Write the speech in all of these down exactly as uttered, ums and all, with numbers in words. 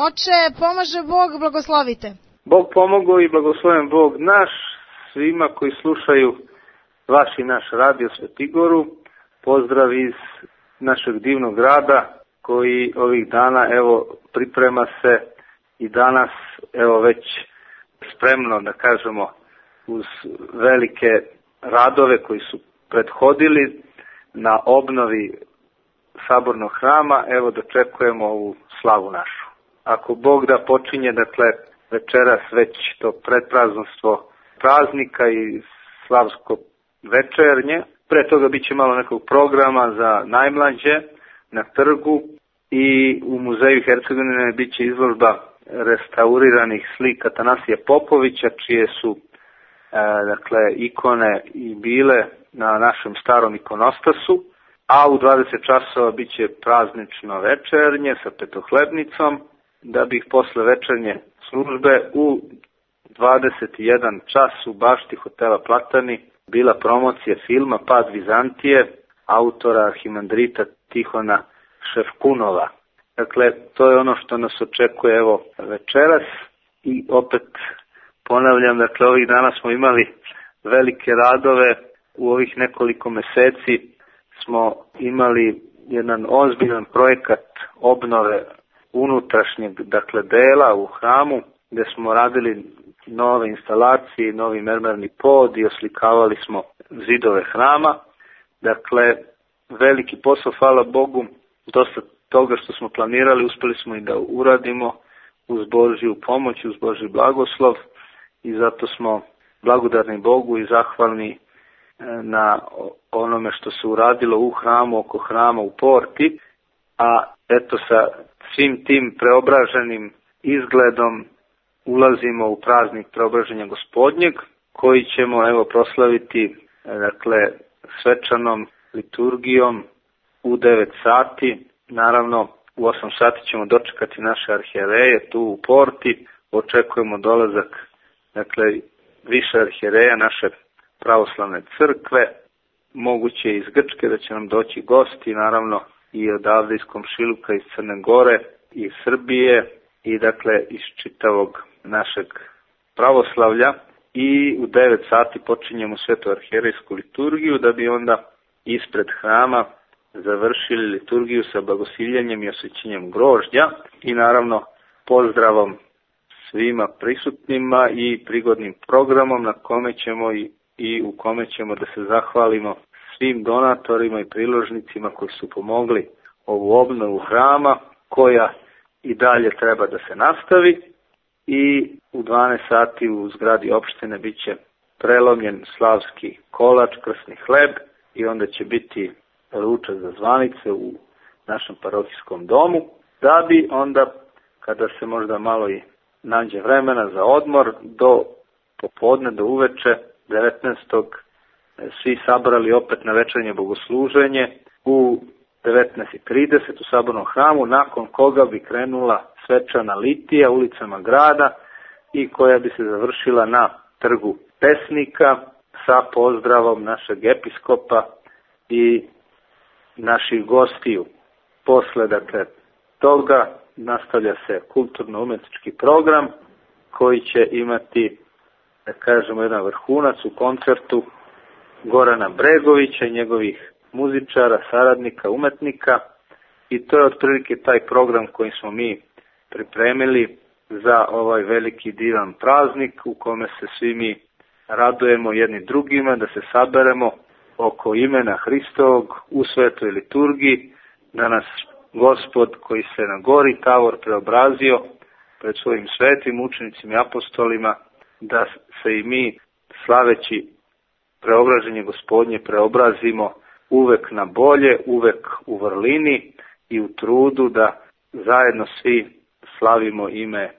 Oče, pomaže Bog, blagoslovite. Bog pomogao i blagosloven Bog naš, svima koji slušaju vaš i naš radio Svetigoru. Pozdrav iz našeg divnog grada koji ovih dana evo priprema se i danas evo već spremno da kažemo uz velike radove koji su prethodili na obnovi sabornog hrama, evo dočekujemo ovu slavu našu. Ako Bog da počinje, dakle, večeras već to predpraznostvo praznika i slavsko večernje, pre toga bit će malo nekog programa za najmlađe na trgu i u muzeju Hercegovine bit će izložba restauriranih slika Tanasija Popovića, čije su e, dakle, ikone i bile na našem starom ikonostasu, a u dvadeset časova bit će praznično večernje sa petohlebnicom, da bi posle večernje službe u dvadeset jedan čas u bašti hotela Platani bila promocija filma Pad Vizantije, autora arhimandrita Tihona Šefkunova. Dakle, to je ono što nas očekuje evo večeras i opet ponavljam, dakle, ovih dana smo imali velike radove, u ovih nekoliko meseci smo imali jedan ozbiljan projekat obnove unutrašnjeg, dakle, dela u hramu, gde smo radili nove instalacije, novi mermerni pod i oslikavali smo zidove hrama. Dakle, veliki posao, hvala Bogu, dosta toga što smo planirali, uspeli smo i da uradimo uz Božju pomoć, uz Božji blagoslov i zato smo blagodarni Bogu i zahvalni na onome što se uradilo u hramu, oko hrama, u porti, a eto sa svim tim preobraženim izgledom ulazimo u praznik preobraženja Gospodnjeg, koji ćemo evo proslaviti dakle svečanom liturgijom u devet sati. Naravno u osam sati ćemo dočekati naše arhijereje tu u porti. Očekujemo dolazak dakle više arhijereja naše pravoslavne crkve, moguće iz Grčke da će nam doći gosti, naravno i odavde iz komšiluka, iz Crne Gore, iz Srbije i dakle iz čitavog našeg pravoslavlja. I u devet sati počinjemo svetu arhijerejsku liturgiju da bi onda ispred hrama završili liturgiju sa blagosiljenjem i osvećenjem grožđa i naravno pozdravom svima prisutnima i prigodnim programom na kome ćemo i, i u kome ćemo da se zahvalimo svim donatorima i priložnicima koji su pomogli ovu obnovu hrama, koja i dalje treba da se nastavi. I u dvanaest sati u zgradi opštine bit će prelomljen slavski kolač, krsni hleb i onda će biti ručak za zvanice u našem parohijskom domu, da bi onda, kada se možda malo i nađe vremena za odmor, do popodne, do uveče, devetnaestog svi sabrali opet na večernje bogosluženje u devetnaest i trideset u sabornom hramu, nakon koga bi krenula svečana litija ulicama grada i koja bi se završila na trgu Pesnika sa pozdravom našeg episkopa i naših gostiju. Posle dakle toga nastavlja se kulturno-umetnički program koji će imati, da kažemo, jedan vrhunac u koncertu Gorana Bregovića i njegovih muzičara, saradnika, umetnika, i to je otprilike taj program koji smo mi pripremili za ovaj veliki divan praznik u kome se svi mi radujemo jedni drugima, da se saberemo oko imena Hristovog u svetoj liturgiji, da nas Gospod koji se na gori Tavor preobrazio pred svojim svetim učenicima i apostolima, da se i mi slaveći preobraženje Gospodnje preobrazimo uvek na bolje, uvek u vrlini i u trudu da zajedno svi slavimo ime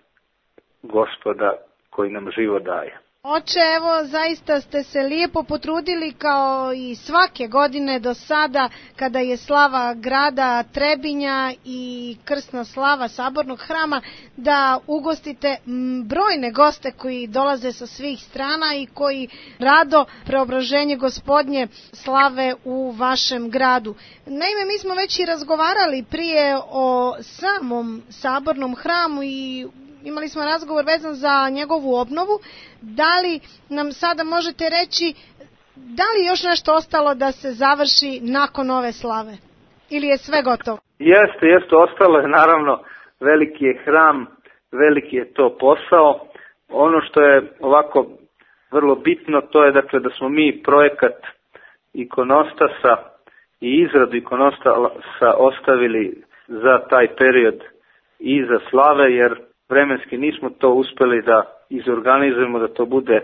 Gospoda koji nam život daje. Oče, evo, zaista ste se lijepo potrudili kao i svake godine do sada kada je slava grada Trebinja i krsna slava Sabornog hrama da ugostite brojne goste koji dolaze sa svih strana i koji rado preobraženje Gospodnje slave u vašem gradu. Naime, mi smo već i razgovarali prije o samom Sabornom hramu i imali smo razgovor vezan za njegovu obnovu. Da li nam sada možete reći da li još nešto ostalo da se završi nakon ove slave? Ili je sve gotovo? Jeste, jeste, ostalo je naravno, veliki je hram, veliki je to posao. Ono što je ovako vrlo bitno, to je dakle da smo mi projekat ikonostasa i izradu ikonostasa ostavili za taj period iza slave, jer vremenski nismo to uspeli da izorganizujemo, da to bude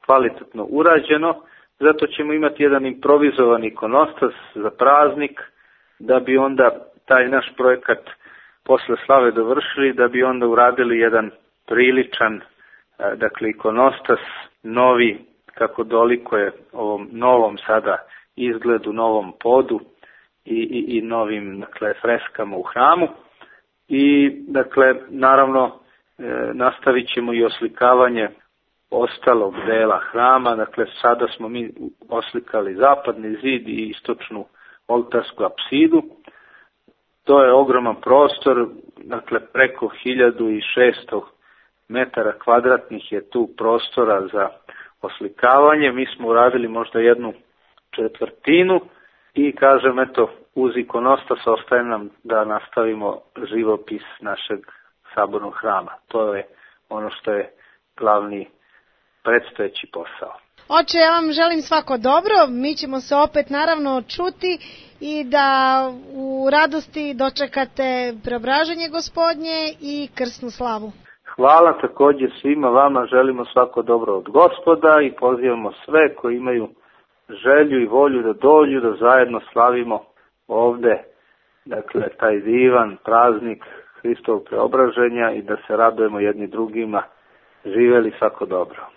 kvalitetno urađeno. Zato ćemo imati jedan improvizovan ikonostas za praznik, da bi onda taj naš projekat posle slave dovršili, da bi onda uradili jedan priličan, dakle, ikonostas, novi, kako dolikuje ovom novom sada izgledu, novom podu i, i, i novim, dakle, freskama u hramu. I, dakle, naravno, e, nastavit ćemo i oslikavanje ostalog dela hrama. Dakle, sada smo mi oslikali zapadni zid i istočnu oltarsku apsidu. To je ogroman prostor, dakle, preko hiljadu šesto metara kvadratnih je tu prostora za oslikavanje. Mi smo uradili možda jednu četvrtinu i, kažem, eto, uz ikonostas ostaje nam da nastavimo živopis našeg Sabornog hrama. To je ono što je glavni predstojeći posao. Oče, ja vam želim svako dobro, mi ćemo se opet naravno čuti i da u radosti dočekate preobraženje Gospodnje i krsnu slavu. Hvala također svima vama, želimo svako dobro od Gospoda i pozivamo sve koji imaju želju i volju da dođu, da zajedno slavimo ovde, dakle, taj divan praznik Hristovog preobraženja i da se radujemo jedni drugima. Živeli svako dobro.